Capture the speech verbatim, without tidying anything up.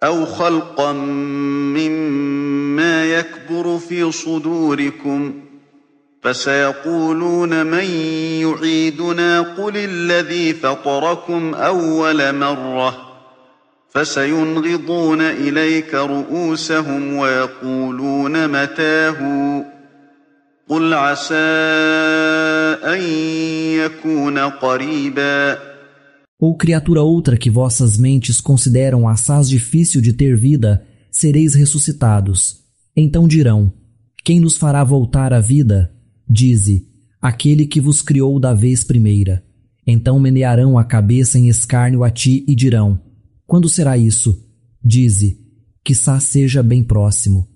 أَوْ خَلْقًا مِّمَّا يَكْبُرُ فِي صُدُورِكُمْ فَسَيَقُولُونَ مَن يُعِيدُنَا قُلِ الَّذِي فَطَرَكُمْ أَوَّلَ مَرَّةٍ فَسَيُنْغِضُونَ إِلَيْكَ رُءُوسَهُمْ وَيَقُولُونَ مَتَىٰ هُوَ قُلْ عَسَىٰ أَن يَكُونَ قَرِيبًا. Ou criatura outra que vossas mentes consideram assaz difícil de ter vida, sereis ressuscitados. Então dirão: quem nos fará voltar à vida? Dize: aquele que vos criou da vez primeira. Então menearão a cabeça em escárnio a ti e dirão: quando será isso? Dize: quiçá seja bem próximo.